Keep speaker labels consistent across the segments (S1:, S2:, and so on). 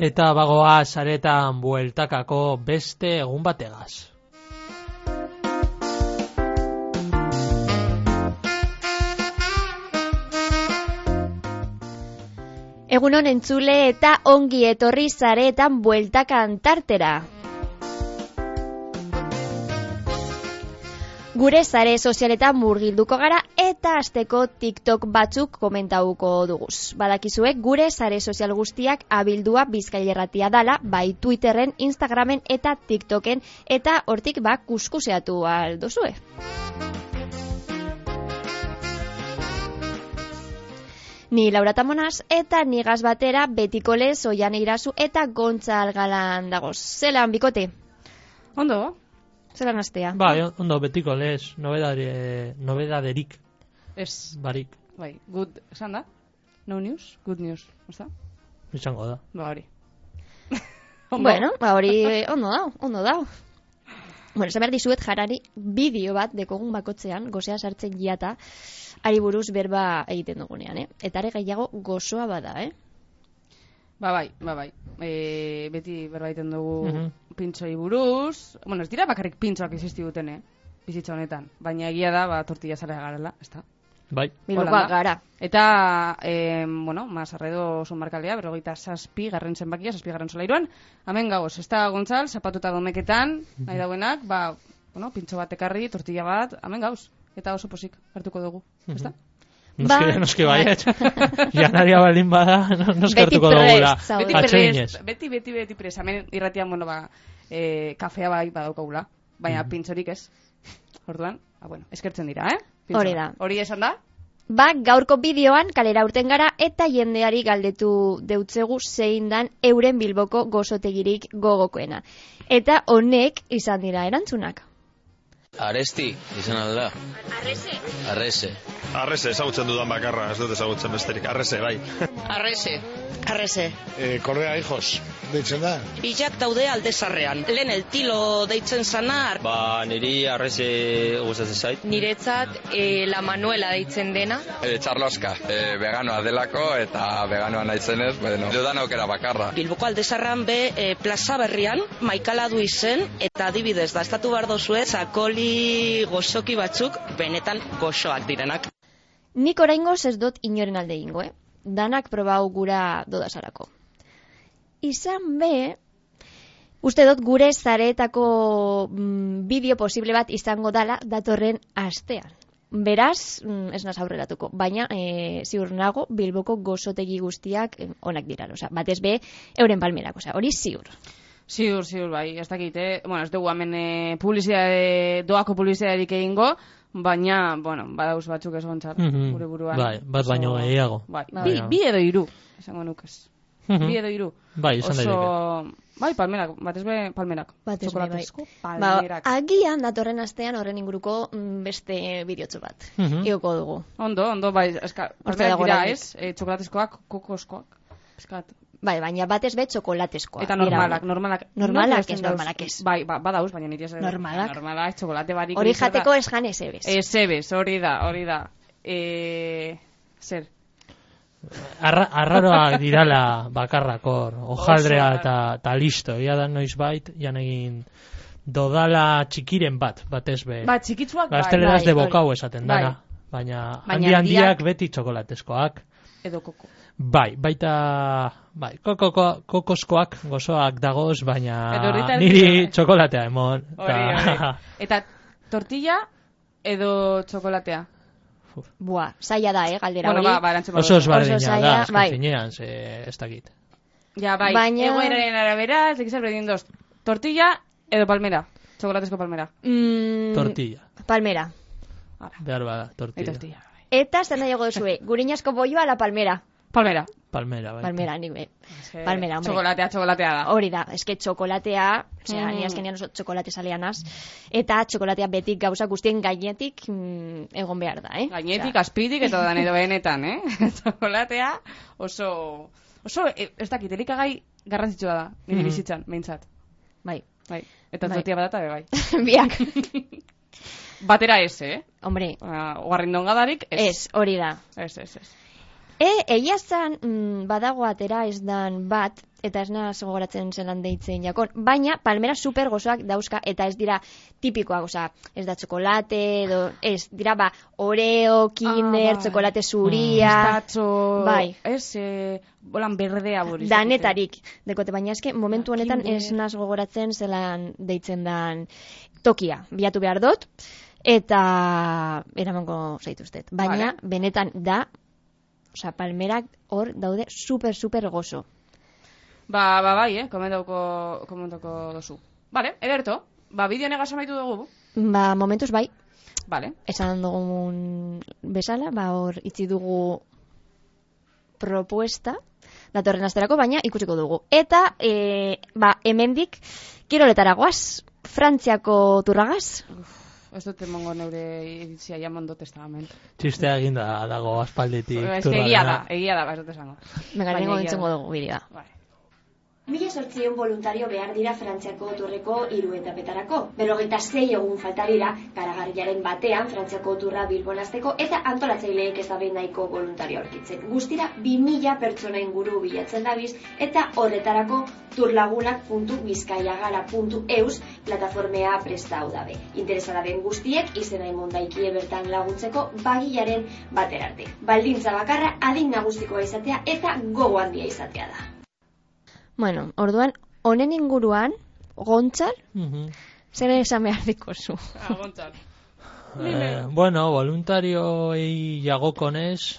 S1: Eta bagoa saretan bueltakako beste egun bategaz.
S2: Egunon entzule eta ongi etorri saretan bueltakan tartera. Gure sare sozialetan murgilduko gara eta asteko TikTok batzuk komentauko duguz. Badakizuek gure sare sozial guztiak abildua Bizkaia Irratia dala, bai Twitterren, Instagramen eta TikToken, eta hortik kuskuseatu aldozue. Ni Laura Tamonaz eta nigaz batera Betiko Lez, Oiane Irazu eta Gontza Algalan dagoz. Zelan, bikote?
S3: Ondo.
S2: Zelan astea?
S1: Bai, ondo, Betiko Lez, nobedaderik.
S3: Ez.
S1: Barik.
S3: Bai, good, esan da? No news, good news, osta?
S1: Izango da.
S3: Ba, hori.
S2: Bueno, hori ondo dao. Bueno, esan behar dizuet jarari bideo bat dekogun bakotzean, gozea sartzen jiata, ari buruz berba egiten dugunean, Eta are gehiago gozoa bada,
S3: Ba bai. Beti berba egiten dugu pintxoi buruz. Bueno, ez dira bakarrik pintxoak existi duten, bizitza honetan. Baina egia da, tortilla zara garela, ez da?
S1: Bai.
S2: Bilbokoak gara.
S3: Eta, Mazarredo sonbarkaldea, 57 garren zenbakia, 7 garren solairuan. Hemen gagoz, ez da Gontzal, zapatuta domeketan, nahi dauenak, pintxo bat ekarri, tortilla bat, hemen gauz. Eta oso posik hartuko dugu, ez da?
S1: Noski baiet. Janaria baldin bada, noski hartuko dugula.
S3: Beti prest. Hemen irratian, kafea bai badaukagula, baina pintxorik ez. Orduan, eskertzen dira,
S2: Hori da.
S3: Hori esan da?
S2: Gaurko bideoan kalera urten gara eta jendeari galdetu deutzegu zein dan euren Bilboko gozotegirik gogokoena. Eta honek izan dira erantzunak.
S4: Aresti, izan alda.
S5: Arrese, ezagutzen dudan bakarra, ez dut ezagutzen besterik. Arrese, bai.
S6: Arrese.
S7: Korrea hijos, deitzen da.
S6: Bilak daude aldezarrean. Lehen el tilo deitzen zana.
S4: Niri arrese gustatzen zait.
S8: Niretzat la Manuela deitzen dena.
S9: Txarloska, veganoa delako eta veganoa naizenez, dudan aukera bakarra.
S6: Bilboko aldezarran plaza berrian, maikala du izen, eta adibidez, da estatu behar dozue, zakoli gozoki batzuk, benetan gozoak direnak.
S2: Nik oraingoz ez dut inoren alde ingo, Danak probau gura dodasarako. Izan uste dut gure zareetako bideo posible bat izango dala datorren astean. Beraz, ez naz aurreratuko, baina ziur nago Bilboko gozotegi guztiak onak dira, batez euren palmerak, hori ziur.
S3: Ziur, bai, ez dakit, ez dugu hemen doako publizitaterik egingo, baina, badauz batzuk ez gontzat, gure buruan.
S1: Bai, bat baino gehiago.
S3: Bi edo hiru, esango nukez. Bi edo hiru.
S1: Bai, izan daiteke.
S3: Bai, palmerak, batez palmerak.
S2: Txokolatezko palmerak. Agian datorren astean horren inguruko beste bideotxo bat. Igoko dugu.
S3: Ondo, bai, palmerak dira ez, txokolatezkoak, kokoskoak.
S2: Bai, baina batez txokolatezkoak.
S3: Eta normalak
S2: ez.
S3: Bai, badauz, baina niri ez.
S2: Normalak,
S3: txokolate barik.
S2: Hori jateko ez jan ezebez.
S3: Ezebez, hori da. Zer?
S1: Arraroak dirala bakarrakor, ojaldrea eta listo. Ia da noiz bait, jan egin dodala txikiren batez be.
S3: Ba, txikitzuak bai.
S1: Gazteleraz de bokau esaten dana. Baina handiak beti txokolatezkoak.
S3: Edo koko.
S1: Bai, kokoskoak gozoak dagoz, baina niri txokolatea emon.
S3: Hori. Eta tortilla edo txokolatea?
S2: Zaila da, galdera hori.
S1: Oso esbardina da, azken finean, ez dakit.
S3: Ja, bai, egoeraren arabera, ez dakizar berdin doz. Tortilla edo palmera? Txokolatezko palmera?
S1: Tortilla.
S2: Palmera.
S1: Behar bada, tortilla.
S2: Eta zer nahi duzue, guriñasko bolloa la palmera?
S3: Palmera,
S1: bai.
S2: Palmera, palmera, hombre.
S3: Txokolatea da.
S2: Hori da, eske txokolatea, ni azkenean oso txokolate saleanaz, eta txokolatea betik gauza guztien gainetik egon behar da,
S3: Gainetik, azpitik, eta da edo benetan, Txokolatea oso, ez dakit, elikagai garrantzitsua da, nire bizitzan, behintzat.
S2: Bai.
S3: Eta tortilla badata, bai.
S2: Biak.
S3: Batera ez,
S2: Hombre.
S3: Guarrindongadarik ez.
S2: Ez, hori da.
S3: Ez.
S2: Egia zan, badago atera ez dan bat, eta ez naz gogoratzen zelan deitzen jakon, baina palmera super gozoak dauzka, eta ez dira tipikoak, oza, ez da txokolate, edo, ez, dira Oreo, Kinder, txokolate zuria,
S3: pistatxo,
S2: bai.
S3: Bolan berdea bori.
S2: Danetarik, dekote, baina eske, momentu honetan ez naz gogoratzen zelan deitzen dan tokia, bilatu behar dut, eta eramango zaituztet. Baina, benetan da, oza, palmerak hor daude super gozo.
S3: Bai, komentauko dozu. Vale, ederto, bideo negaz amaitu dugu?
S2: Momentuz bai.
S3: Vale.
S2: Esan dugun bezala, hor itzi dugu propuesta, datorren asterako, baina ikusiko dugu. Eta, hemendik, kiroletara goaz, Frantziako turragaz.
S3: Ez dut emongo neure iritzia jamon dut testament.
S1: Txistea eginda dago aspalditik.
S3: Egia da, ez dut esango.
S2: Megarengo entzengo dugu bidea.
S10: 1.800 voluntario behar dira Frantziako turreko 3 etapetarako. 46 egun falta dira karagarriaren batean Frantziako turra Bilbon hasteko eta antolatzaileek ez dabe nahiko voluntario aurkitzen. Guztira 2000 pertsona inguru bilatzen dabiz eta horretarako turlagunak.bizkaiagara.eus plataformea prestau dabe. Interesa daben guztiek izena emondaikie bertan laguntzeko bagilaren baterarte. Baldintza bakarra adin nagustikoa izatea eta gogo handia izatea da.
S2: Bueno, orduan, honen inguruan, Gontzal, zer esan behar dikozu?
S3: Gontzal.
S1: Bueno, voluntarioei jagokonez,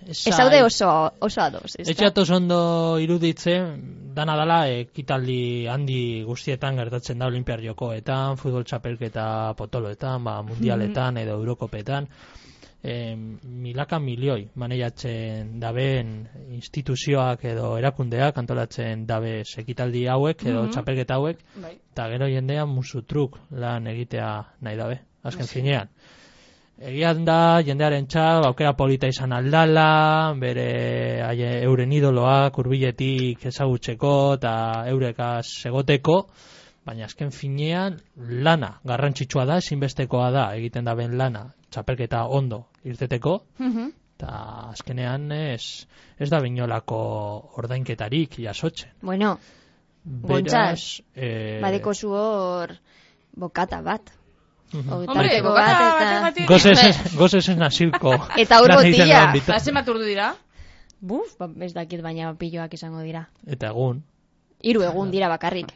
S2: ez daude oso ados.
S1: Etxatoz ondo iruditzen, dana dala, ekitaldi handi guztietan gertatzen da Olimpiar Jokoetan, futbol txapelketa potoloetan, mundialetan edo Eurokopetan, milaka milioi maneiatzen daben instituzioak edo erakundeak antolatzen dabe ekitaldi hauek edo txapelketa hauek, eta gero jendean musutruk lan egitea nahi dabe, azken finean. Egian da, jendearen txal, aukera polita izan aldala, bere euren idoloak urbiletik ezagutzeko eta eurekaz egoteko, baina azken finean lana garrantzitsua da, ezinbestekoa da egiten daben lana, txapelketa ondo irteteko, eta azkenean ez da binolako ordainketarik jasotzen.
S2: Bueno, Gontzal, badeko zu hor bokata bat.
S3: Hombre, bokata bat.
S1: Gozesen nazilko.
S2: Eta hor botila.
S3: Zazen bat urdu dira?
S2: Buf, ez dakit baina piloak izango dira.
S1: Eta egun.
S2: 3 egun dira bakarrik.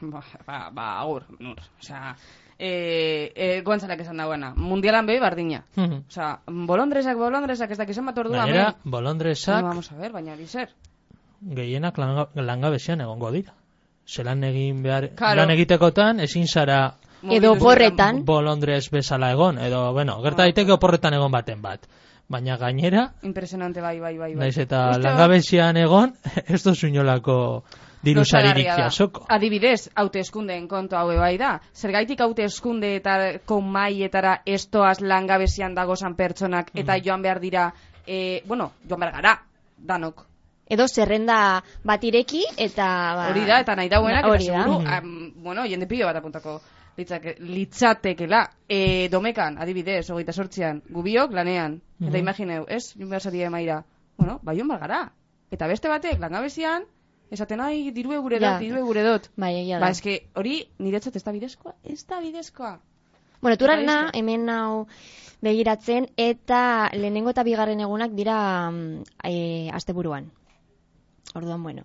S3: Agur, nur. Osea, Gontzalek esan dagoena. Mundialan behi bardina. Osea, bolondresak ez dakizen bat orduan.
S1: Gainera, bolondresak...
S3: Vamos a ver, baina bizer.
S1: Gehienak langabezian egongo dira. Zelan egin behar... Lan egitekotan, ezin zara...
S2: Edo oporretan.
S1: Bolondrez bezala egon. Edo, bueno, gerta daiteke oporretan egon baten bat. Baina gainera...
S3: Impresionante, bai.
S1: Naiz eta langabezian egon, ez dozu inolako... dirusaririk jasoko.
S3: Adibidez, hauteskundeen kontu haue bai da. Zergaitik hauteskundeetako maietara estoaz langabezian dagozan pertsonak eta joan behar dira, joan behar gara, danok.
S2: Edo zerrenda bat ireki eta...
S3: Hori da, eta nahi dauenak, eta seguru, jende pilo bat apuntako litzatekela. Domekan, adibidez, 28an, gubiok lanean. Eta imagineu, ez? Joan behar zaria emaira. Joan behar gara. Eta beste batek, langabezian, esaten, diru egure dut.
S2: Bai, egia da.
S3: Eske hori niretzat ez da bidezkoa.
S2: Bueno, turarena hemen hau begiratzen, eta lehenengo eta bigarren egunak dira asteburuan. Orduan, bueno.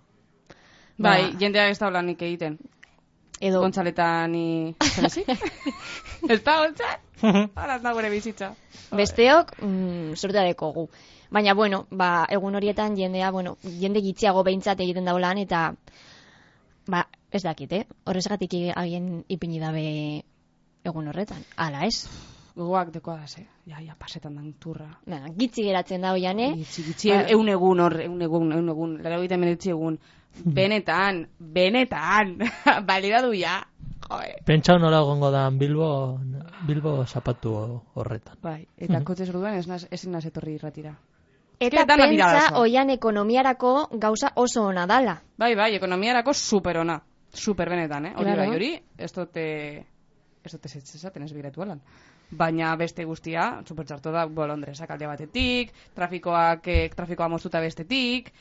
S3: Bai, jendeak ez da holanik egiten.
S2: Edo...
S3: Gontzaletan ni... Zenezi? Ez da, Gontzal? Hala ez da gure bizitza.
S2: Besteok, sorteareko gu. Baina, bueno, egun horietan jende gitziago behintzat egiten daulan, eta, ez dakit, horrezgatik agien ipini dabe egun horretan. Ala, ez?
S3: Gogoak dekoa da, ze. Ja, pasetan dan turra.
S2: Gitzi geratzen da hoian,
S3: Gitzi, egun egun hor, egun egun, lara egiten menetzi egun. Benetan, balidadu ja.
S1: Pentsau nola egongo da Bilbo zapatu horretan.
S3: Bai, eta kotxez orduan ezin naz etorri irratira.
S2: Eta pentsa oian ekonomiarako gauza oso ona dala.
S3: Bai, ekonomiarako super ona. Super benetan, hori bai, hori, ez dute esaten ez begiratu alan. Baina beste guztia, super txarto da, bolondresak alde batetik, trafikoa moztuta bestetik,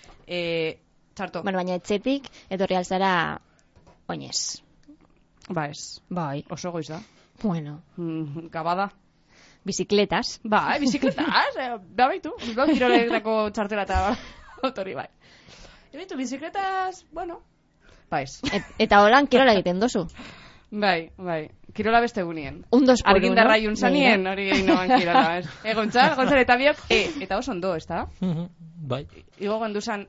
S3: Txarto.
S2: Bueno, baina etxetik, etorri alzara, oinez.
S3: Ba ez.
S2: Bai.
S3: Oso goiz da.
S2: Bueno.
S3: Gabada.
S2: Bizikletas.
S3: Bai, bizikletas. Da baitu. Bilbao kiroletako txartela eta autori, bai. Baitu, bizikletas, bueno. Ba ez.
S2: Eta holan kirola egiten dozu.
S3: Bai. Kirola beste egunien.
S2: Un 2 por 1.
S3: Argindarra juntzanien, hori inoan kirola. Gontzal eta biok, eta oso ondo, ez da?
S1: Bai.
S3: Igo gonduzan,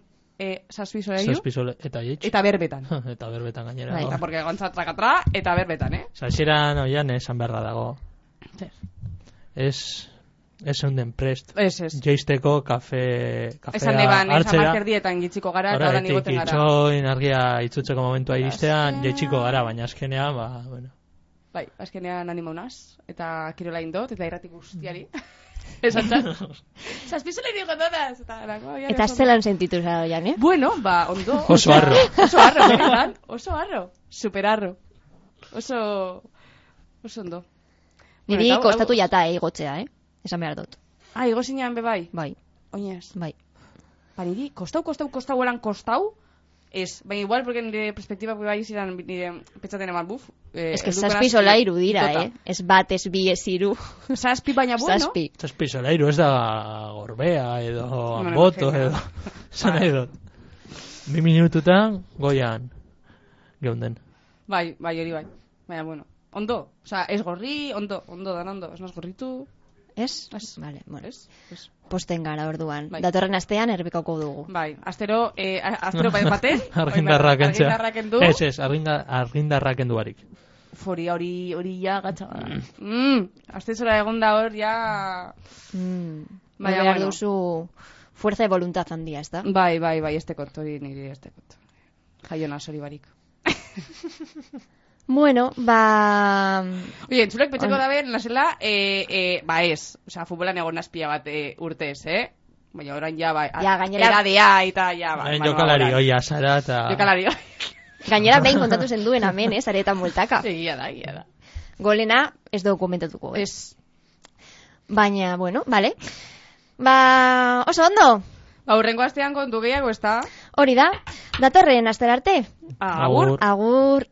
S3: saspizole
S1: eta jeitx.
S3: Eta berbetan.
S1: Eta berbetan gainera.
S3: Eta porque gontzal trakatra, eta berbetan,
S1: Zalxeran oian esan beharra dago. Ez eunden prest.
S3: Ez.
S1: Jeisteko kafea
S3: esan neban,
S1: hartzera.
S3: Amazkerdietan gitziko gara, eta holan igoten gara.
S1: Itxoin argia itzutzeko momentua iristean, jeitsiko gara, baina azkenean, bueno.
S3: Bai, azkenean animo unaz, eta kirola indot, eta irrati guztiari. Esan txan. Zazpizole digo dodaz.
S2: Eta zelan sentitu zara oian,
S3: Bueno, ondo.
S1: Oso harro.
S3: Benetan. Oso harro. Super harro. Oso ondo.
S2: Niri kostatu jata, igotzea, Esan behar dut.
S3: Igo zinean bebai?
S2: Bai.
S3: Oinez?
S2: Bai.
S3: Niri, kostau elan kostau, ez, baina igual, porque nire perspektiba bai ziren, nire petxaten eman buf.
S2: Ez que zazpi solairu dira, Ez bat, ez bi, ez iru.
S3: Zazpi baina bueno.
S1: Zazpi solairu, ez da gorbea, edo amboto, edo. Zan nahi dut. 2 minututan, goian, geunden.
S3: Bai, hori bai. Baina, bueno, ondo. Osa, ez gorri, ondo, dan ondo. Ez naz gorritu.
S2: Ez? Vale, bueno.
S3: Ez.
S2: Posten gara orduan.
S3: Bai.
S2: Datorren astean erbikoko dugu.
S3: Bai, astero baten.
S1: Argindarrak entzea.
S3: Argindarrak endu.
S1: Ez, argindarrak enduarik.
S3: Hori ja gatsa. Aste zora egon da hor, ja...
S2: Baina behar duzu fuerza de voluntad handia, ez da?
S3: Bai, este kontu, hori niri este kontu. Jaiona, hori barik.
S2: Bueno,
S3: Oye, entzulek petxeko da ben, nasela, ez. Osa, futbolan egon nazpia bat urtez, Baina orain ja,
S2: gainera...
S3: Eradea, eta ja,
S1: jokalari oia zara, eta...
S3: Jokalari oia.
S2: Gainera behin kontatu zen duen amen, aretan multaka.
S3: Egia da.
S2: Golena ez dokumentatuko,
S3: Ez.
S2: Baina, bueno, vale. Oso ondo.
S3: Urrengo astean kontu gehiago, ez da?
S2: Hori da, datorren astera arte.
S3: Agur.
S2: Agur.